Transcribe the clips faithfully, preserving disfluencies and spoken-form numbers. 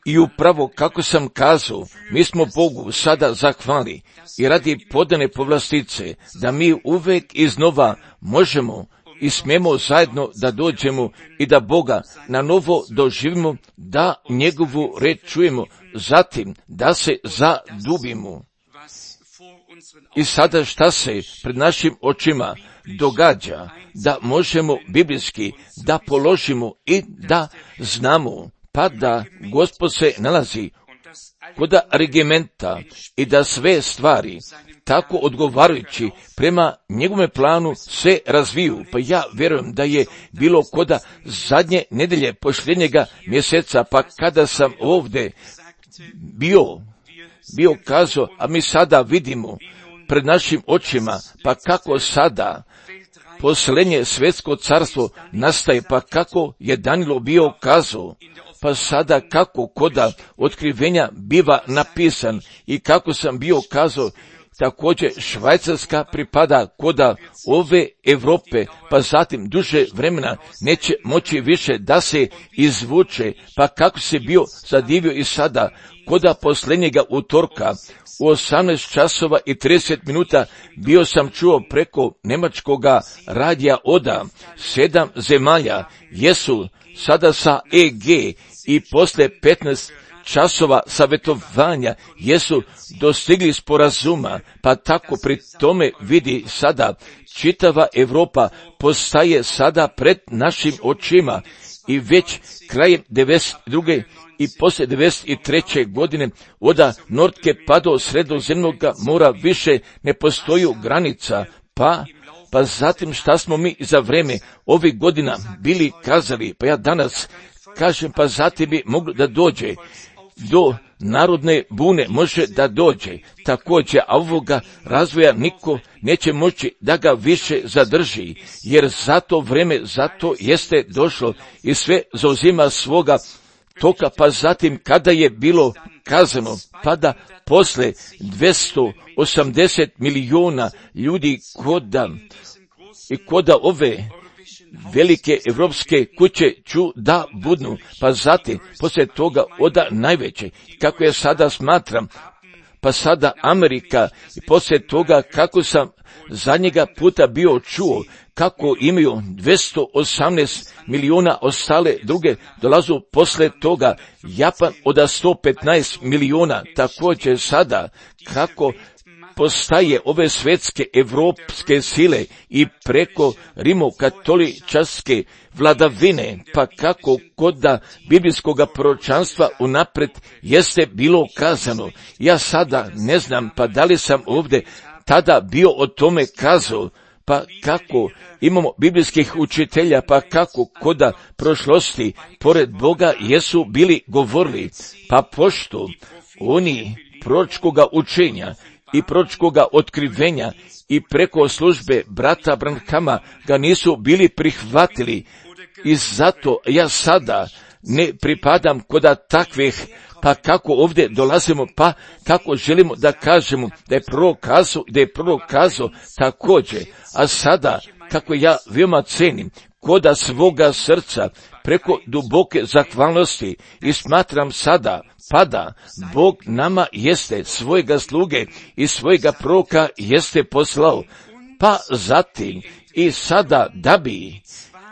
I upravo kako sam kazao, mi smo Bogu sada zahvali i radi podane povlastice, da mi uvek iznova možemo i smemo zajedno da dođemo i da Boga na novo doživimo, da njegovu reč čujemo, zatim da se zadubimo. I sada šta se pred našim očima događa, da možemo biblijski da položimo i da znamo, pa da Gospod se nalazi kod regimenta i da sve stvari tako odgovarajući prema njegovome planu se razviju. Pa ja vjerujem da je bilo koda zadnje nedelje posljednjega mjeseca, pa kada sam ovdje bio, bio kazao, a mi sada vidimo pred našim očima, pa kako sada posljednje svjetsko carstvo nastaje, pa kako je Danilo bio kazao, pa sada kako koda otkrivenja biva napisan i kako sam bio kazao, također Švajcarska pripada koda ove Europe, pa zatim duže vremena neće moći više da se izvuče, pa kako se bio zadivio i sada koda posljednjega utorka u osamnaest časova i trideset minuta bio sam čuo preko njemačkoga radija Oda, sedam zemalja jesu sada sa E G i posle petnaest časova savjetovanja jesu dostigli sporazuma, pa tako pri tome vidi sada čitava Europa postaje sada pred našim očima i već krajem devedeset druge i poslije devedeset treće godine od Nordke pa do Sredozemnog mora više ne postoji granica, pa pa zatim šta smo mi za vreme ovih godina bili kazali, pa ja danas kažem, pa zatim bi moglo da dođe do narodne bune, može da dođe također, a ovoga razvoja niko neće moći da ga više zadrži, jer zato vreme, zato jeste došlo i sve zauzima svoga toka, pa zatim kada je bilo kazano, pa da posle dvjesto osamdeset milijuna ljudi koda i koda ove velike evropske kuće ću da budnu, pa zatim poslije toga oda najveće, kako ja sada smatram, pa sada Amerika i poslije toga kako sam zadnjega puta bio čuo, kako imaju dvjesto osamnaest milijuna, ostale druge dolazu posle toga, Japan od sto petnaest milijuna, također sada kako postaje ove svjetske evropske sile i preko rimokatoličarske vladavine, pa kako koda biblijskoga proročanstva unapred jeste bilo kazano. Ja sada ne znam, pa da li sam ovdje tada bio o tome kazao, pa kako imamo biblijskih učitelja, pa kako koda prošlosti pored Boga jesu bili govorili, pa pošto oni proročkoga učenja i proročkoga otkrivenja i preko službe brata Branhama ga nisu bili prihvatili, i zato ja sada ne pripadam koda takvih, pa kako ovdje dolazimo, pa kako želimo da kažemo da je prorok kazao, da je prorok kazao također, a sada kako ja veoma cenim koda svoga srca preko duboke zahvalnosti i smatram sada, pa da Bog nama jeste svojega sluge i svojega proroka jeste poslao, pa zatim i sada da bi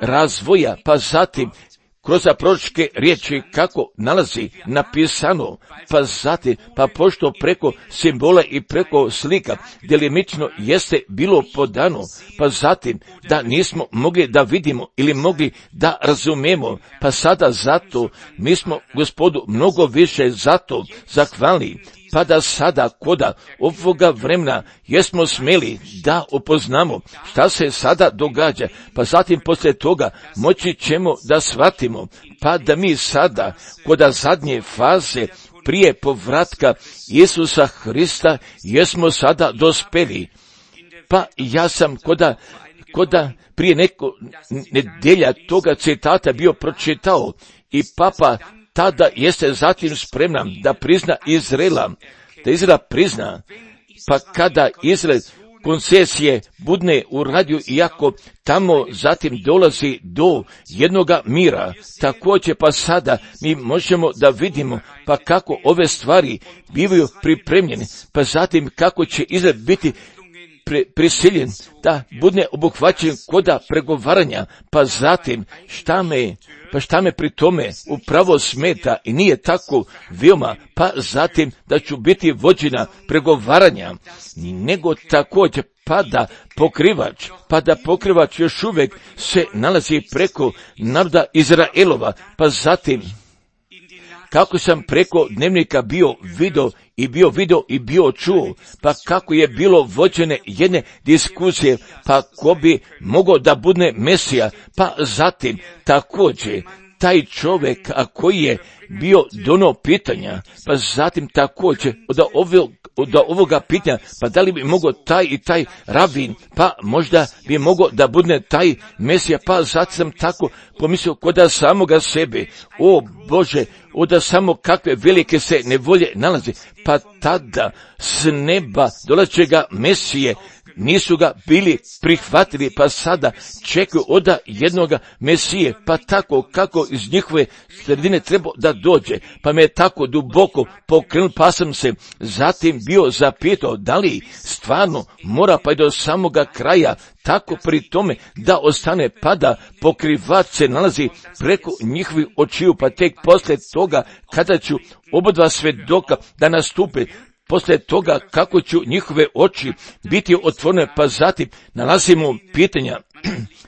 razvoja, pa zatim kroz proročke riječi kako nalazi napisano, pa zatim, pa pošto preko simbola i preko slika delimično jeste bilo podano, pa zatim da nismo mogli da vidimo ili mogli da razumemo, pa sada zato mi smo Gospodu mnogo više zato zahvalni, pa da sada koda ovoga vremena jesmo smeli da upoznamo šta se sada događa, pa zatim poslije toga moći ćemo da shvatimo, pa da mi sada koda zadnje faze prije povratka Isusa Hrista jesmo sada dospeli. Pa ja sam koda, koda prije neko nedelja toga citata bio pročitao i papa tada jeste zatim spreman da prizna Izraela, da Izrael prizna, pa kada Izrael koncesije budne uradio, iako tamo zatim dolazi do jednoga mira. Također pa sada mi možemo da vidimo pa kako ove stvari bivaju pripremljene, pa zatim kako će Izrael biti pri, prisiljen da budne obuhvaćen koda pregovaranja, pa zatim šta me, pa šta me pri tome upravo smeta i nije tako veoma, pa zatim da ću biti vođena pregovaranja, nego također pa da pokrivač, pa da pokrivač još uvijek se nalazi preko naroda Izraelova, pa zatim kako sam preko dnevnika bio video i bio video i bio čuo, pa kako je bilo vođene jedne diskusije, pa ko bi mogao da bude Mesija, pa zatim također taj čovjek a koji je bio dono pitanja, pa zatim također od ovog, od ovoga pitanja, pa da li bi mogao taj i taj rabin, pa možda bi mogao da bude taj Mesija, pa zatim sam tako pomislio koda samoga sebe, o Bože, oda samo kakve velike se nevolje nalazi, pa tada s neba dolazećega Mesije nisu ga bili prihvatili, pa sada čekaju oda jednoga Mesije, pa tako kako iz njihove sredine treba da dođe, pa me je tako duboko pokrenul, pa sam se zatim bio zapitao da li stvarno mora pa i do samoga kraja tako pri tome da ostane, pa da pokrivač se nalazi preko njihovih očiju, pa tek posle toga kada ću obodva svedoka da nastupe, poslije toga kako ću njihove oči biti otvorene, pa zatim nalazimo pitanja,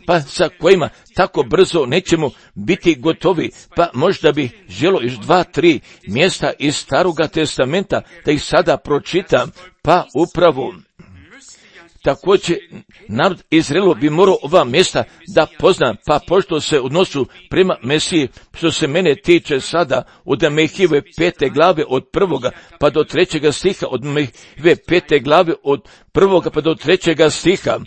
pa sa kojima tako brzo nećemo biti gotovi, pa možda bi želo još dva, tri mjesta iz Staroga testamenta da ih sada pročitam, pa upravo također narod Izraelu bi morao ova mjesta da pozna, pa pošto se odnosu prema Mesiji, što se mene tiče sada od Mehijeve pete glave od prvoga pa do trećega stiha, od Mehijeve pete glave od prvoga pa do trećega stiha,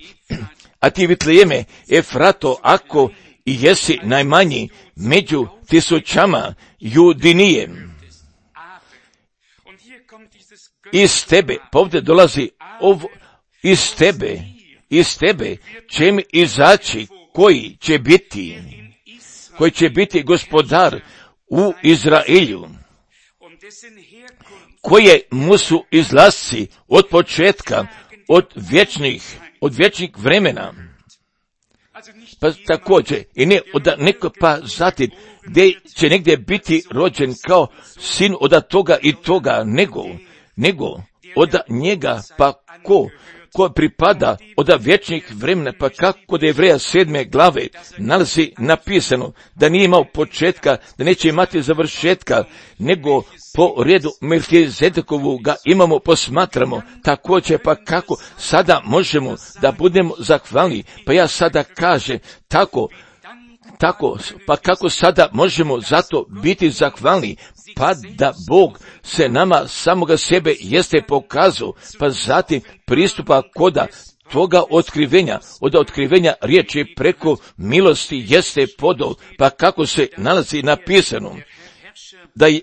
a ti Vitlejeme, Efrato, ako i jesi najmanji među tisućama Judinije, iz tebe, pa ovdje dolazi ovo, iz tebe, iz tebe će mi izaći koji će biti, koji će biti gospodar u Izraelju, koje mu su izlasci od početka, od vječnih, od vječnih vremena. Pa također, i ne od neko pa zatim, gdje će negdje biti rođen kao sin od toga i toga, nego, nego od njega pa ko, ko pripada od vječnih vremena, pa kako kod Jevreja sedme glave nalazi napisano da nije imao početka, da neće imati završetka, nego po redu Melkizedekovu ga imamo, posmatramo. Također pa kako sada možemo da budemo zahvalni, pa ja sada kažem tako, tako, pa kako sada možemo zato biti zahvalni, pa da Bog se nama samoga sebe jeste pokazao, pa zatim pristupa koda toga otkrivenja, od otkrivenja riječi preko milosti jeste podol, pa kako se nalazi napisano da je,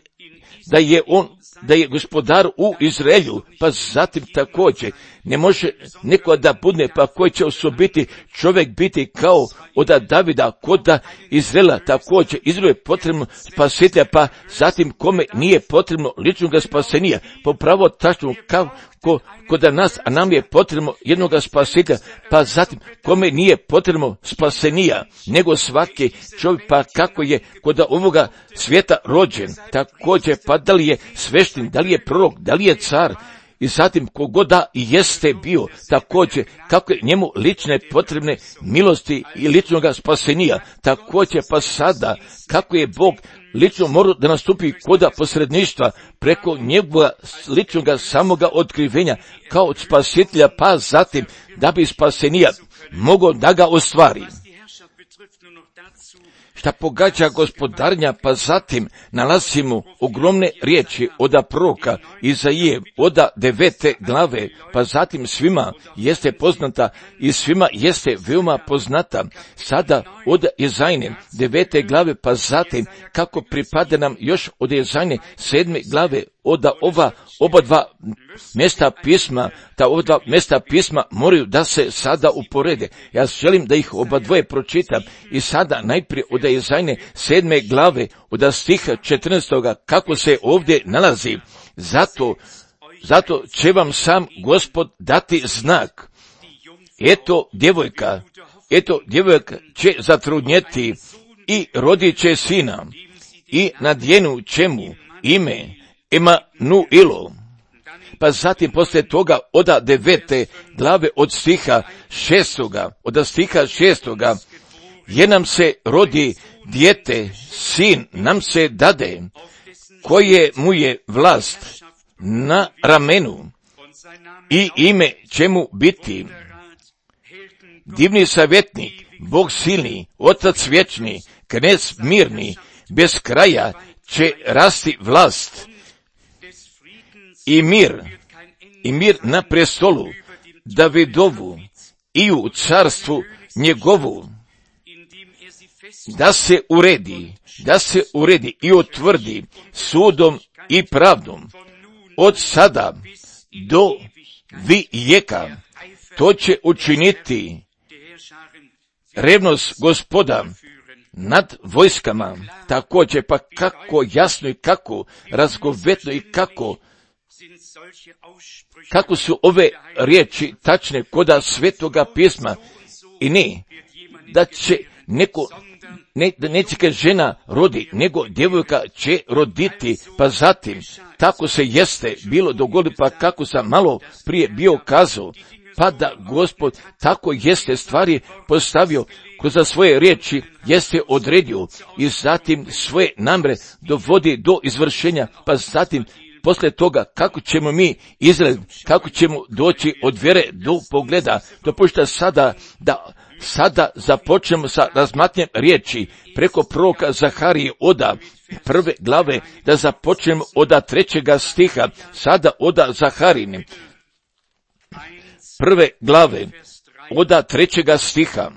da je on, da je gospodar u Izraelju, pa zatim također ne može neko da budne, pa koji će osobiti čovjek biti kao od Davida, koda Izraela, također Izraelu je potrebno spasitelja, pa zatim kome nije potrebno ličnog spasenija, po pravo tačno kao ko, kod nas, a nam je potrebno jednoga spasitelja, pa zatim kome nije potrebno spasenija, nego svaki čovjek, pa kako je kod ovoga svijeta rođen, također pa da li je svešten, da li je prorok, da li je car, i zatim kogoda jeste bio, također kako je njemu lične potrebne milosti i ličnoga spasenija, također pa sada kako je Bog lično morao da nastupi koda posredništva preko njegova ličnoga samoga otkrivenja kao od spasitelja, pa zatim da bi spasenija mogao da ga ostvari. Šta pogađa gospodarnja, pa zatim nalazimo ogromne riječi od proroka Izaije, od devete glave, pa zatim svima jeste poznata i svima jeste veoma poznata. Sada od Izajine devete glave, pa zatim kako pripada nam još od Izajine sedme glave da ova oba dva mjesta pisma, ta oba dva mjesta pisma moraju da se sada uporede. Ja želim da ih oba dvoje pročitam i sada najprije od Jezajne sedme glave, od stiha četrnaestoga, kako se ovdje nalazi. Zato, zato će vam sam Gospod dati znak. Eto djevojka, eto djevojka će zatrudnjeti i rodit će sina i nadjenut će mu ime Emanuilo. Pa zatim poslije toga oda devete glave od stiha šestoga, od stiha šestoga, jer nam se rodi dijete, sin nam se dade, koje mu je vlast na ramenu i ime će mu biti divni savjetnik, Bog silni, Otac vječni, Knez mirni, bez kraja će rasti vlast i mir, i mir na prestolu Davidovu i u carstvu njegovu, da se uredi, da se uredi i utvrdi sudom i pravdom od sada do vijeka. To će učiniti revnost Gospoda nad vojskama. Također, pa kako jasno i kako razgovetno i kako kako su ove riječi tačne koda Svetoga pisma. I ne da će neko, ne, da neće žena rodi, nego djevojka će roditi. Pa zatim, tako se jeste bilo dogodi, pa kako sam malo prije bio kazao, pa da Gospod tako jeste stvari postavio kroz svoje riječi, jeste odredio i zatim svoje namre dovodi do izvršenja, pa zatim poslije toga kako ćemo mi izgledati, kako ćemo doći od vjere do pogleda. Dopušta sada da sada započnemo sa razmatnjem riječi preko proroka Zaharije oda prve glave, da započnemo oda trećega stiha, sada oda Zaharine prve glave, oda trećega stiha.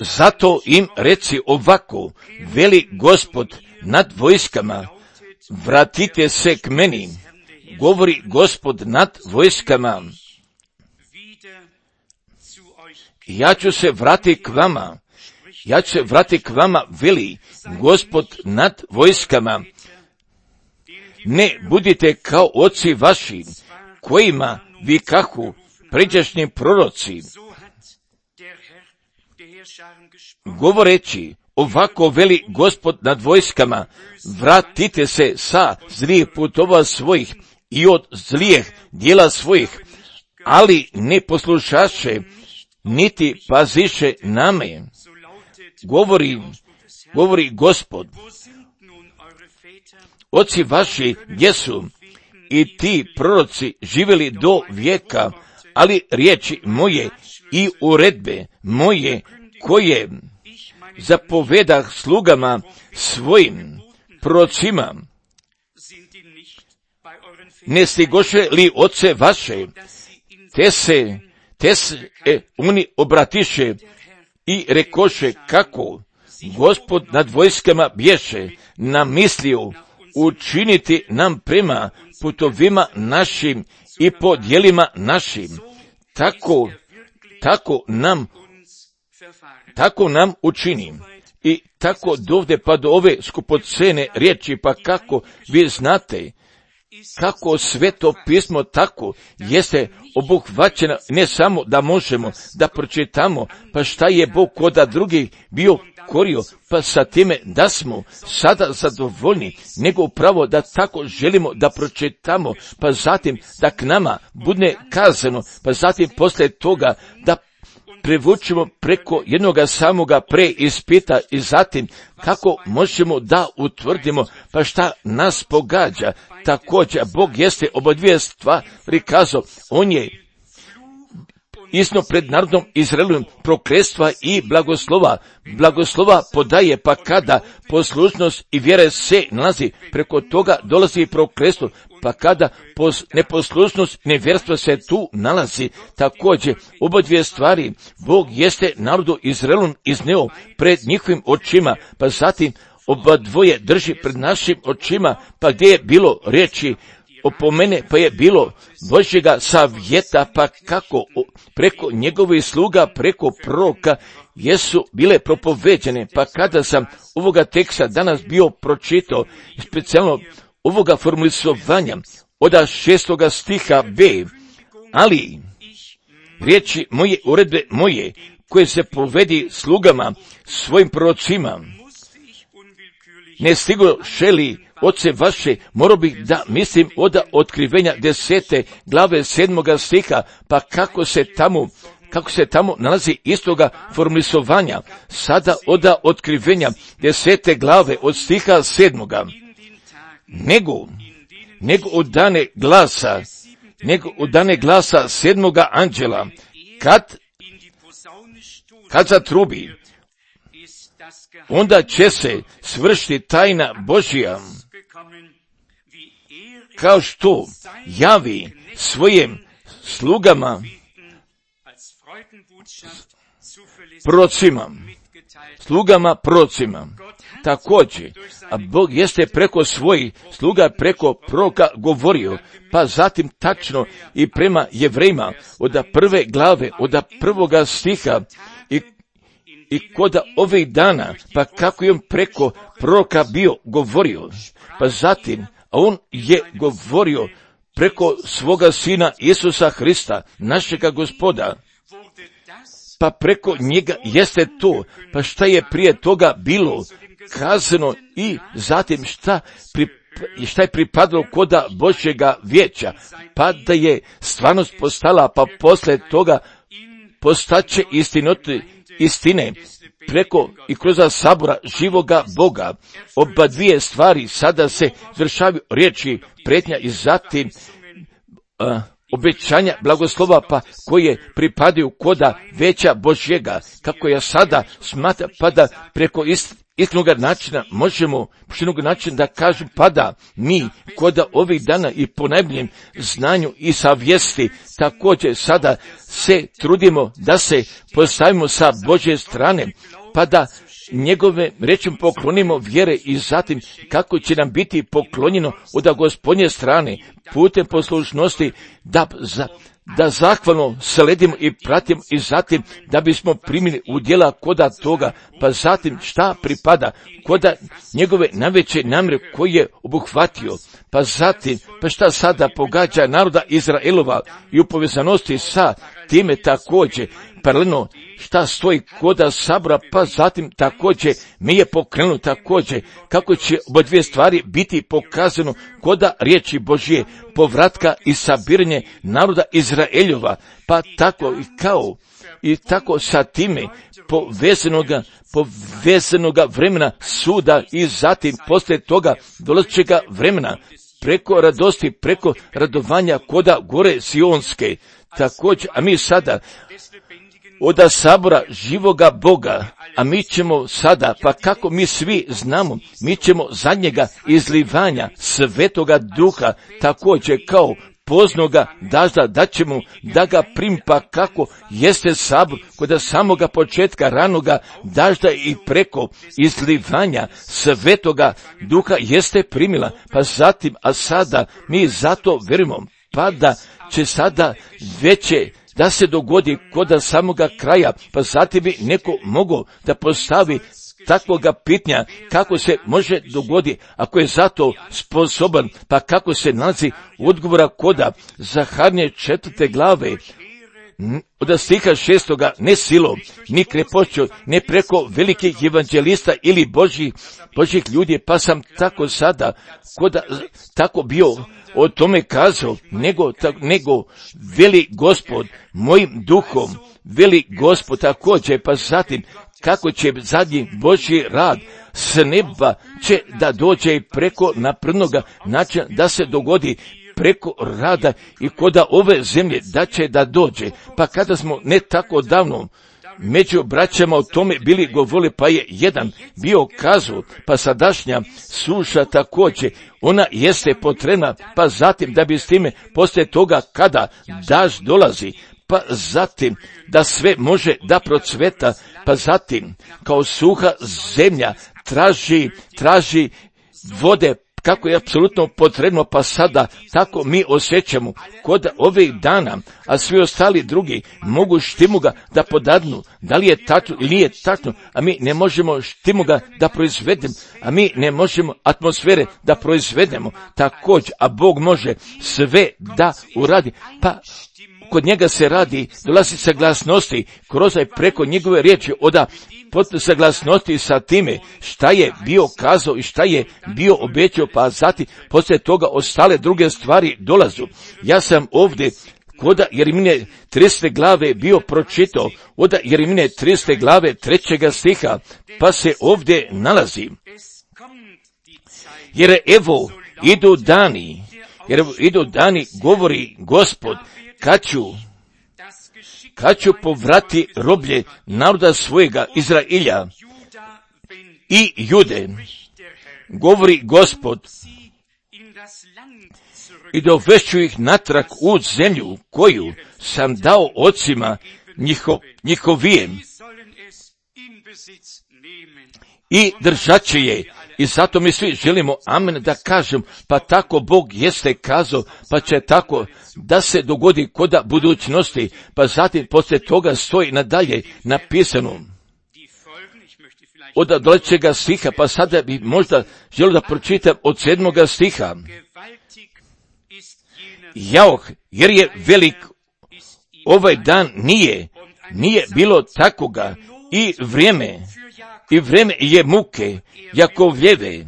Zato im reci ovako, veli Gospod nad vojskama, vratite se k meni, govori Gospod nad vojskama. Ja ću se vratiti k vama, ja ću se vratiti k vama, veli Gospod nad vojskama. Ne budite kao oci vaši, kojima vikahu pređašnji proroci, govoreći, ovako veli Gospod nad vojskama, vratite se sa zlijih putova svojih i od zlijeh dijela svojih, ali ne poslušaše, niti paziše na me. Govori, govori Gospod, oci vaši gdje su i ti proroci živjeli do vijeka, ali riječi moje i uredbe moje koje zapovedah slugama svojim prorocima, ne stigoše li oce vaše, te se, te se e, oni obratiše i rekoše kako Gospod nad vojskama bješe namislio učiniti nam prema putovima našim i po djelima našim, tako, tako nam tako nam učini. I tako dovde pa do ove skupocene riječi, pa kako vi znate, kako Sveto pismo tako jeste obuhvaćeno, ne samo da možemo da pročitamo, pa šta je Bog koda drugih bio korio, pa sa time da smo sada zadovoljni, nego upravo da tako želimo da pročitamo, pa zatim da k nama bude kazano, pa zatim poslije toga da prevučemo preko jednoga samoga preispita i zatim kako možemo da utvrdimo pa šta nas pogađa. Također Bog jeste oba dvije stvari kazao, on je isno pred narodom Izraelom prokletstva i blagoslova. Blagoslova podaje, pa kada poslušnost i vjera se nalazi, preko toga dolazi i prokletstvo, pa kada pos, neposlušnost i nevjerstvo se tu nalazi. Također, oba dvije stvari Bog jeste narodu Izraelom izneo pred njihovim očima, pa zatim oba dvoje drži pred našim očima, pa gdje je bilo riječi opomene, pa je bilo Božjega savjeta, pa kako preko njegovih sluga, preko proroka jesu bile propoveđene. Pa kada sam ovoga teksta danas bio pročitao, specijalno ovoga formulisovanja od šestoga stiha B, ali riječi moje, uredbe moje, koje se povedi slugama svojim prorocima, ne stigo šeli oce vaše, morao bih da mislim od otkrivenja desete glave sedmoga stiha, pa kako se tamo, kako se tamo nalazi istoga formulisovanja, sada od otkrivenja desete glave od stiha sedmoga, nego, nego od dane glasa, nego od dane glasa sedmoga anđela, kad, kad zatrubi, onda će se svršiti tajna Božja, kao što javi svojim slugama, prorocima, slugama prorocima. Također, a Bog jeste preko svojih sluga, preko proroka govorio, pa zatim tačno i prema Jevrejima, od prve glave, od prvoga stiha, i I koda ovih dana, pa kako je on preko proroka bio govorio, pa zatim, a on je govorio preko svoga sina Isusa Hrista, našega Gospoda, pa preko njega jeste to, pa šta je prije toga bilo kazano i zatim šta, pri, šta je pripadalo koda Božjega vijeća, pa da je stvarnost postala, pa posle toga postaće istinoti, istine preko i kroz sabora živoga Boga. Oba dvije stvari sada se završavaju riječi pretnja i zatim uh, obećanja blagoslova, pa koje pripadaju koda veća Božjega, kako ja sada smatra, pa da preko ist, istnog načina možemo, poštenog načina da kažem, pa da mi koda ovih dana i po najboljem znanju i savjesti također sada se trudimo da se postavimo sa Božje strane, pa da njegove rečem poklonimo vjere i zatim kako će nam biti poklonjeno od Gospodnje strane putem poslušnosti da za da zahvalno sledimo i pratimo i zatim da bismo primili udjela koda toga, pa zatim šta pripada koda njegove najveće namjere koje je obuhvatio, pa zatim pa šta sada pogađa naroda Izraelova i u povezanosti sa time također paralelno šta stoji koda sabora, pa zatim također mi je pokrenuo također kako će oba dvije stvari biti pokazano koda riječi Božje, povratka i sabiranje naroda Izraeljova, pa tako i kao i tako sa time povezanoga, povezanoga vremena suda i zatim poslije toga dolazećega vremena preko radosti, preko radovanja koda gore Sionske. Također, a mi sada od sabora živoga Boga, a mi ćemo sada, pa kako mi svi znamo, mi ćemo zadnjega izlivanja Svetoga Duha također kao poznoga dažda da ćemo da ga prim, pa kako jeste sabor kod samoga početka ranoga dažda i preko izlivanja Svetoga Duha jeste primila, pa zatim, a sada mi zato vjerujemo, pa da će sada veće da se dogodi kod samoga kraja, pa zatim bi neko mogao da postavi takvoga pitanja kako se može dogoditi ako je zato sposoban, pa kako se nalazi odgovora koda Zaharnje četvrte glave od stiha šestoga, ne silom, ni krepošću, ne preko velikih evanđelista ili Božih, Božih ljudi, pa sam tako sada koda tako bio o tome kazao, nego, ta, nego veli Gospod mojim duhom, veli Gospod također, pa zatim kako će zadnji Božji rad s neba će da dođe preko naprednoga načina da se dogodi preko rada i koda ove zemlje da će da dođe. Pa kada smo ne tako davno među braćama o tome bili govorili, pa je jedan bio kazao, pa sadašnja suša također, ona jeste potrebna, pa zatim da bi s time poslije toga kada daž dolazi, pa zatim da sve može da procveta, pa zatim kao suha zemlja traži, traži vode, kako je apsolutno potrebno, pa sada tako mi osjećamo kod ovih dana, a svi ostali drugi mogu štimuga da podadnu, da li je tačno ili nije tačno, a mi ne možemo štimuga da proizvedemo, a mi ne možemo atmosfere da proizvedemo također, a Bog može sve da uradi, pa kod njega se radi, dolazi saglasnosti, kroz i preko njegove riječi, oda potpuno saglasnosti sa time šta je bio kazao i šta je bio obećao, pa zatim poslije toga ostale druge stvari dolazu. Ja sam ovdje koda Jeremije tridesete glave bio pročitao, od Jeremije tridesete glave trećega stiha, pa se ovdje nalazi. Jer evo idu dani, jer evo idu dani, govori Gospod, kad ću, kad ću povrati roblje naroda svojega Izrailja i Jude, govori Gospod, i dovešću ih natrag u zemlju koju sam dao ocima njiho, njihovijem i držat će je. I zato mi svi želimo amen da kažem, pa tako Bog jeste kazao, pa će tako da se dogodi koda budućnosti, pa zatim poslije toga stoji nadalje napisano od dolećega stiha, pa sada bi možda želio da pročitam od sedmoga stiha. Jauh, jer je velik ovaj dan nije, nije bilo takoga i vrijeme, i vrijeme je muke, Jakovljeve,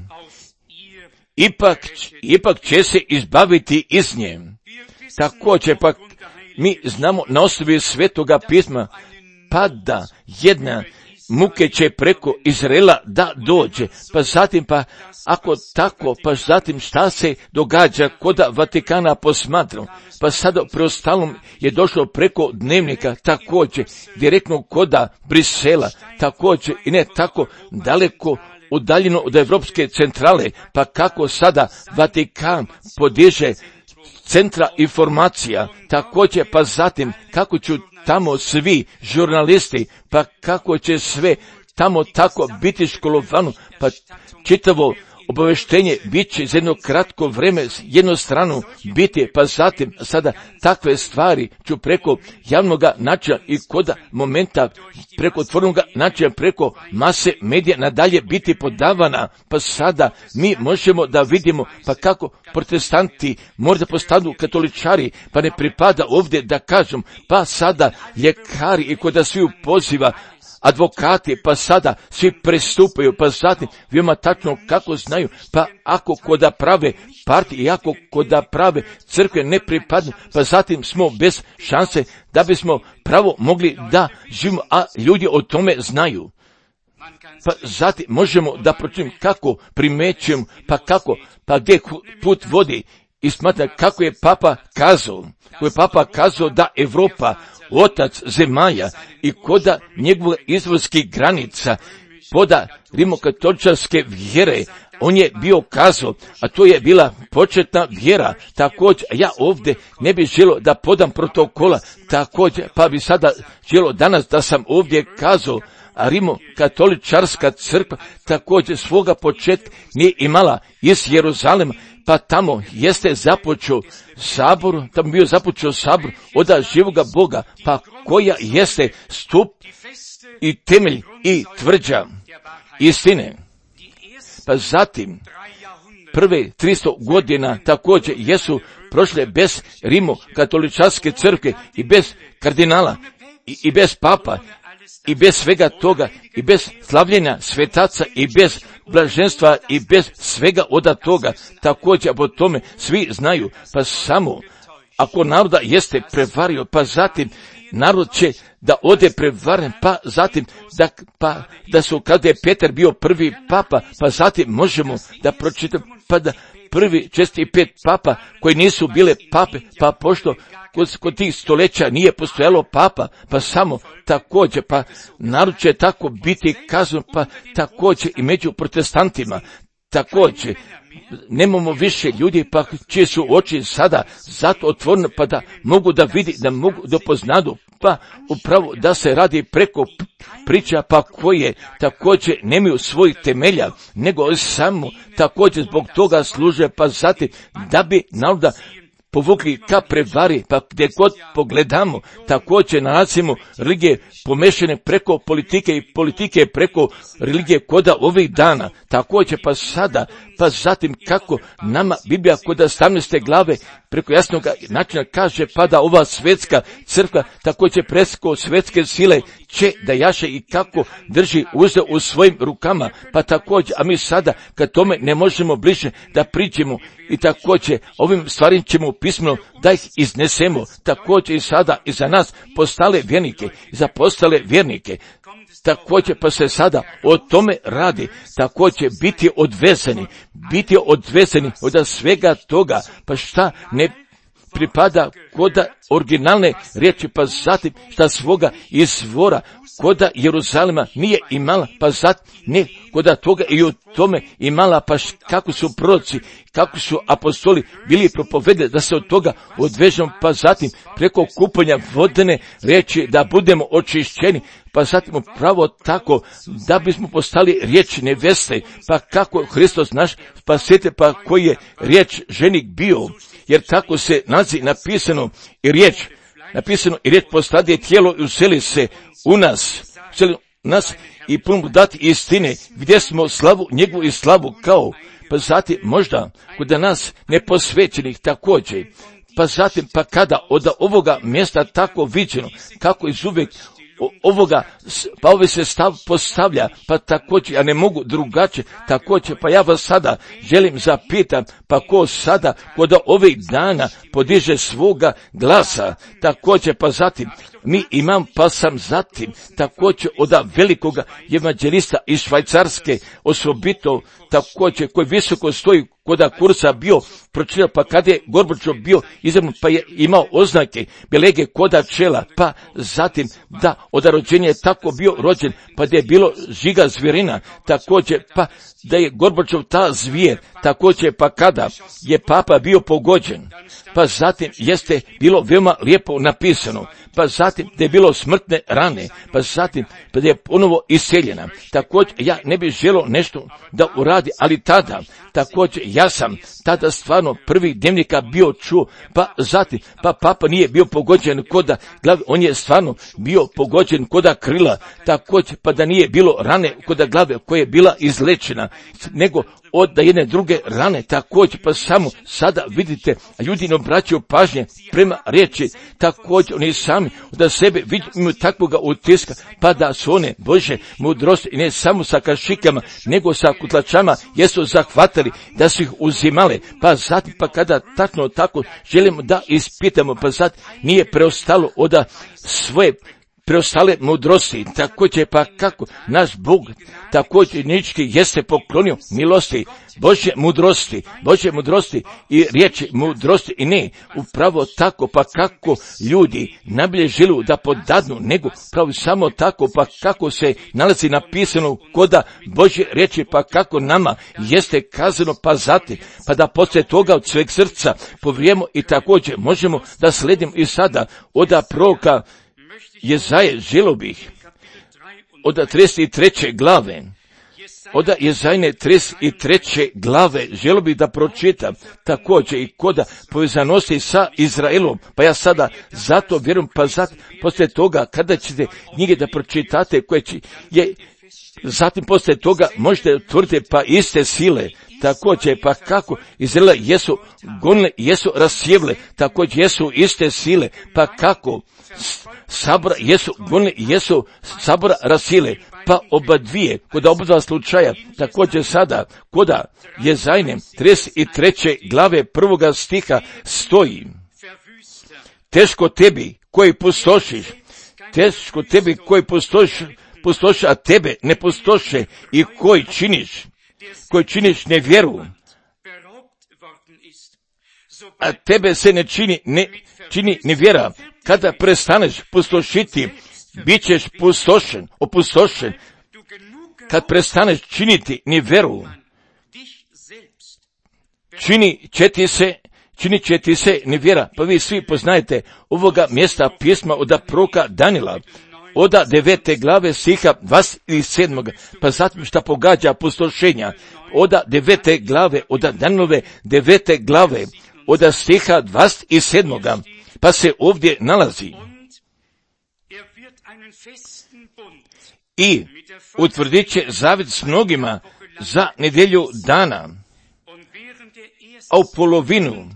ipak, ipak će se izbaviti iz nje. Također pak mi znamo na osnovi Svetoga pisma, pa da jedna muke će preko Izraela da dođe, pa zatim pa ako tako, pa zatim šta se događa koda Vatikana posmatram, pa sada preostalom je došlo preko dnevnika također, direktno koda Brisela, također i ne tako daleko udaljeno od Evropske centrale, pa kako sada Vatikan podiže centra informacija, također pa zatim kako ću tamo svi žurnalisti, pa kako će sve tamo tako biti školovano, pa čitavo obaveštenje bit će za jedno kratko vreme jednostrano biti, pa zatim sada takve stvari ću preko javnog načina i koda momenta preko otvornog načina, preko mase medija nadalje biti podavana, pa sada mi možemo da vidimo pa kako protestanti možda postanu katoličari, pa ne pripada ovdje da kažem, pa sada ljekari i koda svi poziva advokati, pa sada svi pristupaju, pa zatim veoma tačno kako znaju, pa ako koda prave partije i ako koda prave crkve ne pripadnu, pa zatim smo bez šanse da bismo pravo mogli da živimo, a ljudi o tome znaju. Pa zatim možemo da pročitamo kako primećujemo, pa kako, pa gdje put vodi i smatra kako je Papa kazao, kako je Papa kazao da Evropa otac zemalja i koda njegove izvorskih granica, poda rimokatoličarske vjere, on je bio kazao, a to je bila početna vjera, također, ja ovdje ne bih želio da podam protokola, također, pa bi sada želio danas da sam ovdje kazao, a rimokatoličarska crkva također svoga početka nije imala iz Jeruzalema, pa tamo jeste započeo sabor, tamo bio započeo sabor od živoga Boga, pa koja jeste stup i temelj i tvrđa istine. Pa zatim, prve tristo godina također jesu prošle bez rimokatoličarske crkve i bez kardinala i, i bez papa i bez svega toga i bez slavljenja svetaca i bez blaženstva i bez svega od toga, također po tome svi znaju, pa samo ako naroda jeste prevario, pa zatim narod će da ode prevaren, pa zatim da, pa, da su kada je Petar bio prvi papa, pa zatim možemo da pročitamo, pa da prvi česti pet papa koji nisu bile pape, pa pošto kod, kod tih stoljeća nije postojalo papa, pa samo također, pa narod će tako biti kazan, pa također i među protestantima, također. Nemamo više ljudi, pa čije su oči sada zato otvorene, pa da mogu da vidi, da mogu da poznadu, pa upravo da se radi preko priča, pa koje također nemaju svojih temelja, nego samo također zbog toga služe, pa zatim da bi naroda povukli ka prevari, pa gdje god pogledamo, također nalazimo religije pomešane preko politike i politike preko religije koda ovih dana, također pa sada, pa zatim kako nama Biblija koda sedamnaeste glave preko jasnog načina kaže, pa da ova svetska crkva također preko svetske sile će da jaše i kako drži uzeo u svojim rukama, pa također, a mi sada kad tome ne možemo bliže da priđemo i također ovim stvarima ćemo pismeno da ih iznesemo, također i sada i za nas postale vjernike i za postale vjernike. Također pa se sada o tome radi, također biti odvezeni, biti odvezeni od svega toga, pa šta ne pripada koda originalne riječi, pa zatim šta svoga izvora koda Jeruzalema nije imala, pa zatim ne koda toga i u tome imala, pa kako su proroci, kako su apostoli bili propovedali da se od toga odvežemo, pa zatim preko kupanja vodene riječi da budemo očišćeni, pa zatim upravo tako da bismo postali riječ neveste, pa kako Hristos naš spasitelj, pa koji je riječ ženik bio, jer tako se nazi napisano i riječ, napisano i riječ postade tijelo i useli se u nas, useli nas i puno dati istine, gdje smo slavu njegovu i slavu kao, pa zatim možda kod nas neposvećenih također, pa zatim pa kada od ovoga mjesta tako viđeno, kako iz uvijek ovoga, pa ovaj se stav postavlja, pa također, ja ne mogu drugačije, također, pa ja vas sada želim zapitam, pa ko sada kod ovih dana podiže svoga glasa, također, pa zatim, mi imam, pa sam zatim, također od velikoga evanđelista iz Švajcarske, osobito, također, koji visoko stoji koda kursa bio pročitao, pa kad je Gorbačov bio izabran, pa je imao oznake belege koda čela, pa zatim da od rođenja je tako bio rođen, pa da je bilo žiga zvirina, također pa da je Gorbačov ta zvijer, također pa kada je papa bio pogođen, pa zatim jeste bilo veoma lijepo napisano, pa zatim da je bilo smrtne rane, pa zatim da je ponovo iseljena. Također ja ne bih želio nešto da uradi, ali tada, također ja sam tada stvarno prvih dnevnika bio čuo, pa zatim, pa papa nije bio pogođen koda glave, on je stvarno bio pogođen koda krila, također pa da nije bilo rane koda glave koja je bila izlečena, nego od da jedne druge rane, također pa samo sada vidite, ljudi ne obraćaju pažnje prema riječi, također oni sami da sebe imaju takvoga utiska, pa da su one Bože mudrosti i ne samo sa kašikama, nego sa kutlačama jesu zahvatili, da su ih uzimale, pa zatim pa kada tačno tako želimo da ispitamo, pa zatim nije preostalo od svoje preostale mudrosti, također pa kako naš Bog također nički jeste poklonio milosti, Božje mudrosti, Božje mudrosti i riječi mudrosti i ne, upravo tako pa kako ljudi najbolje žele da podadnu, nego upravo samo tako pa kako se nalazi napisano koda Božje riječi, pa kako nama jeste kazano, pa zatim, pa da poslije toga od sveg srca povrijemo i također možemo da sledimo i sada od proroka Jezaje, želio bih od trideset treće glave, od Jezajne trideset treće glave, želio bih da pročitam također i koda povezanosti sa Izraelom, pa ja sada zato vjerujem, pa zato poslije toga kada ćete knjige da pročitate koje će, je, zatim poslije toga možete utvrditi pa iste sile, također pa kako Izraela jesu gonile, jesu rasjevle, također jesu iste sile, pa kako sabora jesu gonile, jesu sabora rasile, pa oba dvije, kod oba dva slučaja, također sada, koda Jezajne trideset treće glave prvoga stiha stoji, teško tebi koji pustošiš, teško tebi koji pustošiš, pustoše, a tebe ne pustoše i koji činiš, koji činiš nevjeru, a tebe se ne čini, ne čini ni vjera, kada prestaneš pustošiti, bit ćeš pustošen, opustošen. Kad prestaneš činiti ni vjeru, čini će ti se, činit će ti se ni vjera. Pa vi svi poznajete ovoga mjesta pisma od proroka Danila, od devete glave stiha dvadeset sedam. Pa zatim šta pogađa pustošenja, od devete glave, od Danilove devete glave, od stiha dvadeset sedam. Pa se ovdje nalazi: i utvrdit će zavjet s mnogima za nedjelju dana, a u polovinu,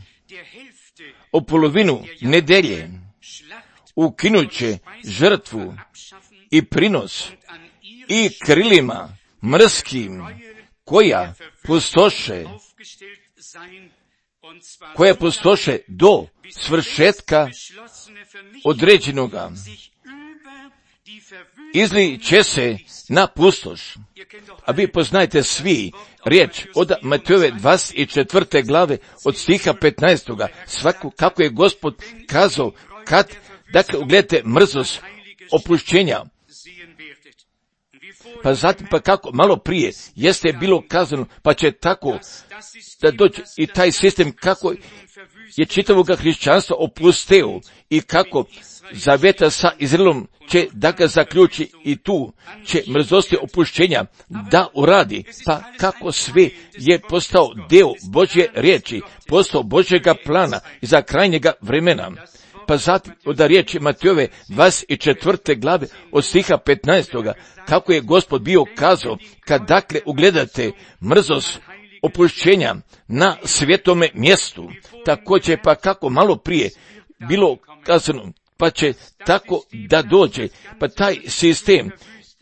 u polovinu nedelje ukinut će žrtvu i prinos i krilima mrskim koja pustoše, koja pustoše do svršetka određenoga, izli će se na pustoš. A vi poznajete svi riječ od Matejove dvadeset četvrte glave od stiha petnaestog. Svako kako je Gospod kazao, kad, dakle, ugledajte mrzost opušćenja. Pa zatim, pa kako malo prije jeste bilo kazano, pa će tako da dođe i taj sistem kako je čitavoga hrišćanstva opusteo i kako zavjeta sa Izraelom će da ga zaključi i tu će mrzosti opušćenja da uradi. Pa kako sve je postao deo Božje riječi, postao Božjega plana i za krajnjega vremena. Pa zatim od riječi Matejove dvadeset četvrte glave od stiha petnaestog. Kako je Gospod bio kazao, kad dakle ugledate mrzost opušćenja na svjetome mjestu, također pa kako malo prije bilo kazano, pa će tako da dođe, pa taj sistem,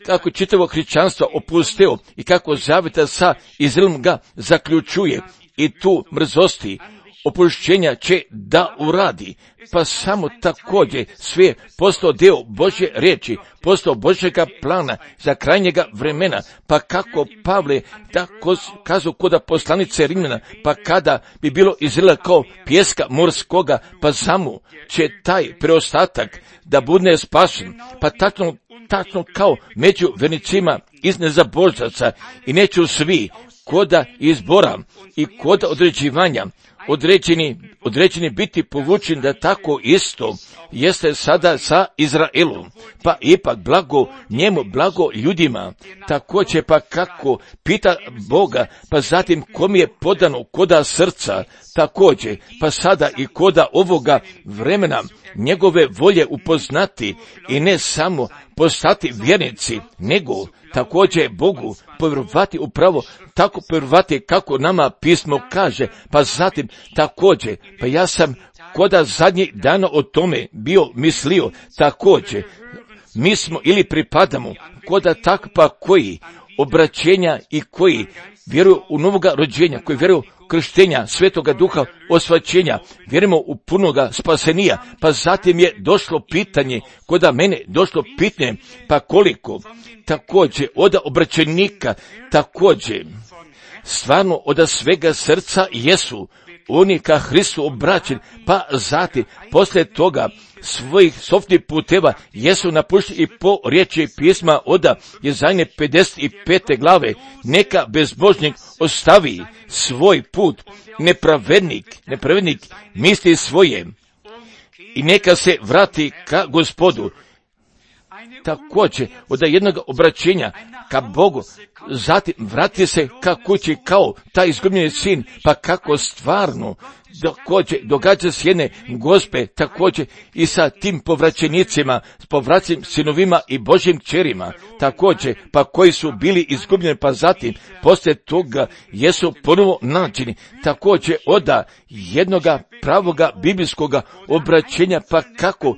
kako čitavo hrišćanstvo opusteo i kako zavjeta sa Izraelom ga zaključuje i tu mrzosti opušćenja će da uradi. Pa samo također sve postao deo Božje riječi, postao Božjega plana za krajnjega vremena. Pa kako Pavle tako kazao kod poslanice Rimljana, pa kada bi bilo Izraela kao pjeska morskoga, pa samo će taj preostatak da bude spašen. Pa tačno, tačno kao među vernicima iz nezabožaca i neću svi koda izbora i koda određivanja određeni, određeni biti povučen, da tako isto jeste sada sa Izraelom. Pa ipak blago njemu, blago ljudima, također pa kako pita Boga, pa zatim kom je podano koda srca, također pa sada i koda ovoga vremena njegove volje upoznati i ne samo postati vjernici, nego također Bogu povjerovati upravo tako povjerovati kako nama pismo kaže. Pa zatim također, pa ja sam koda zadnjih dana o tome bio mislio, također mi smo ili pripadamo koda takva koji obraćenja i koji vjeruju u novoga rođenja, koji vjeruju krštenja Svetoga Duha, osvaćenja, vjerujemo u punoga spasenija. Pa zatim je došlo pitanje, koda mene došlo pitanje, pa koliko također od obraćenika, također stvarno od svega srca jesu oni ka Hristu obraćeni, pa zatim poslije toga svojih sofnih puteva jesu napušteni i po riječi pisma od Jezajne pedeset pete glave, neka bezbožnik ostavi svoj put, nepravednik, nepravednik misli svoje i neka se vrati ka Gospodu. Također od jednog obraćenja ka Bogu, zatim vrati se ka kući kao taj izgubljeni sin, pa kako stvarno također događa se jedne Gospe, također i sa tim povraćenicima, s povraćenim sinovima i Božjim kćerima, također pa koji su bili izgubljeni, pa zatim poslije toga jesu ponovo nađeni, također od jednoga pravoga biblijskoga obraćenja, pa kako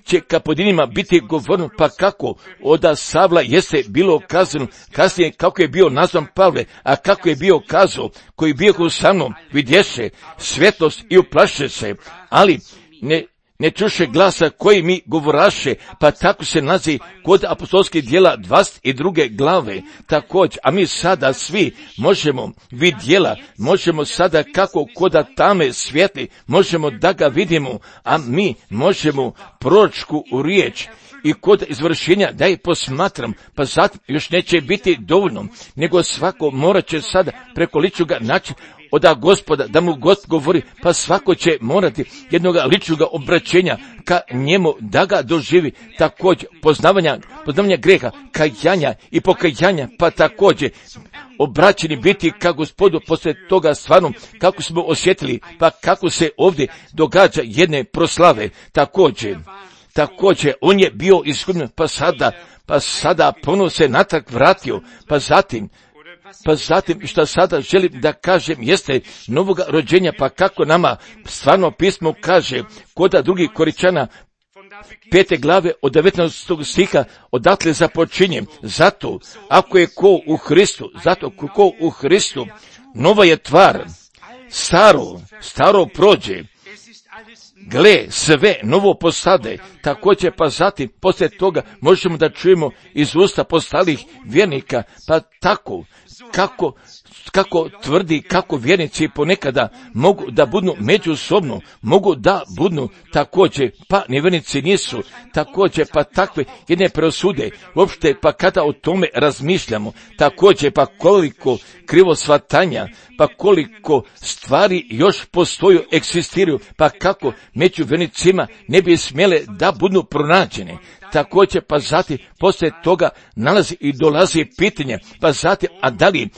će kapodinima biti govorno, pa kako od Savla jeste bilo kazano, kasnije kako je bio nazvan Pavle, a kako je bio kazao, koji bio sa mnom vidješe svjetlost i uplaše se, ali ne ne čuše glasa koji mi govoraše, pa tako se nalazi kod apostolskih djela dvadeset druge glave također, a mi sada svi možemo vidjela, možemo sada kako koda tame svijetli, možemo da ga vidimo, a mi možemo proročku riječ i kod izvršenja da je posmatram, pa zatim još neće biti dovoljno, nego svako morat će sada preko ličnoga naći od Gospoda, da mu Gost govori, pa svako će morati jednog ličnog obraćenja ka njemu da ga doživi, također poznavanja, poznavanja greha, kajanja i pokajanja, pa također obraćeni biti ka Gospodu poslije toga stvarno, kako smo osjetili, pa kako se ovdje događa jedne proslave, također. Također, on je bio iskupljen, pa sada, pa sada ponovno se natrag vratio, pa zatim, pa zatim što sada želim da kažem jeste novoga rođenja, pa kako nama stvarno pismo kaže kod drugih Koričana pete glave od devetnaestog stiha odatle započinje. Zato, ako je ko u Hristu, zato ko u Hristu, nova je tvar, staro, staro prođe, gle, sve novo postade, također pa zatim, poslije toga možemo da čujemo iz usta postalih vjernika, pa tako, kako, kako tvrdi, kako vjernici ponekada mogu da budnu međusobno, mogu da budnu također, pa nevjernici nisu, također pa takve jedne presude, uopšte pa kada o tome razmišljamo, također pa koliko krivo shvatanja, pa koliko stvari još postoju, egzistiraju, pa kako među vjernicima ne bi smjele da budnu pronađene. Također pa zatim poslije toga nalazi i dolazi pitanje, pa zatim, a da li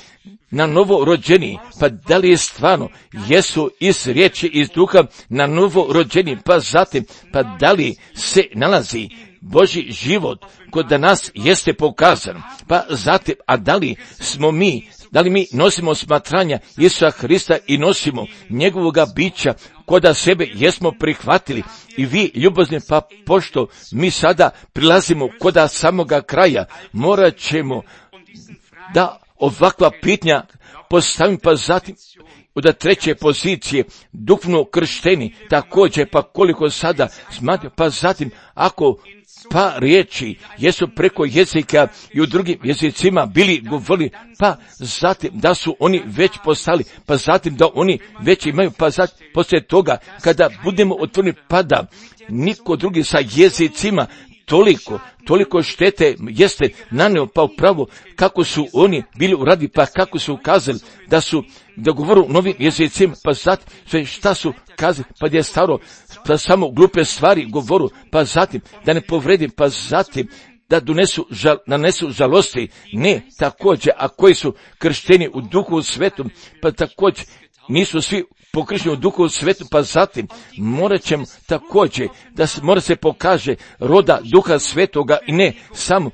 na novo rođeni, pa da li je stvarno jesu iz riječi, iz duha na novo rođeni, pa zatim, pa da li se nalazi Božji život kod nas jeste pokazan, pa zatim, a da li smo mi, da li mi nosimo smatranja Isusa Hrista i nosimo njegovoga bića koda sebe jesmo prihvatili i vi ljubazni, pa pošto mi sada prilazimo koda samoga kraja, morat ćemo da ovakva pitanja postavim, pa zatim od treće pozicije duhovno kršteni, također pa koliko sada smatram, pa zatim ako pa riječi jesu preko jezika i u drugim jezicima bili govorili, pa zatim da su oni već postali, pa zatim da oni već imaju, pa zatim poslije toga kada budemo otvoreni, pa da niko drugi sa jezicima toliko, toliko štete jeste naneo, pa upravo kako su oni bili uradi, pa kako su ukazali da su da govoru novim jezicima, pa zatim sve šta su kazali, pa je staro da samo glupe stvari govoru, pa zatim da ne povredim, pa zatim da donesu, žal, nanesu žalosti, ne također, a koji su kršteni u Duhu Svetom, pa također nisu svi pokršteni u Duhu Svetom, pa zatim morat ćemo također da se, mora se pokaže roda Duha Svetoga i ne samo